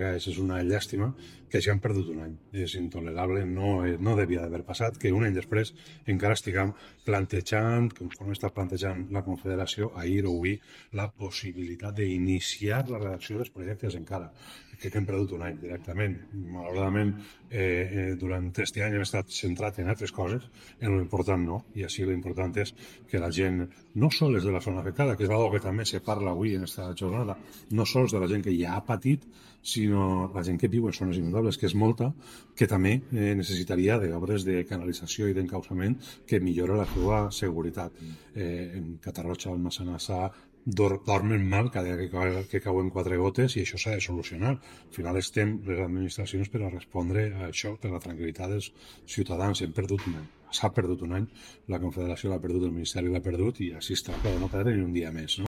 És una llàstima que hagin perdut un any. És intolerable, no devia d'haver passat que un any després encara estiguem plantejant, conforme està plantejant la Confederació, ahir o avui, la possibilitat d'iniciar la redacció dels projectes encara. Crec que hem perdut un any directament. Malauradament, durant aquest any hem estat centrat en altres coses, en l'important no, i així l'important és que la gent, no sols de la zona afectada, que és algo que també se parla avui en aquesta jornada, no sols de la gent que ja ha patit, sinó la gent que viu en zones inundables, que és molta, que també necessitaria d'obres de canalització i d'encausament que millora la seva seguretat. En Catarroja, al Massanassa, dormen mal cada dia que cauen 4 gotes i això s'ha de solucionar. Al final estem les administracions per a respondre a això, per la tranquil·litat dels ciutadans. Hem perdut un any. S'ha perdut un any, la Confederació l'ha perdut, el Ministeri l'ha perdut i així està, per no perdre ni un dia més. No?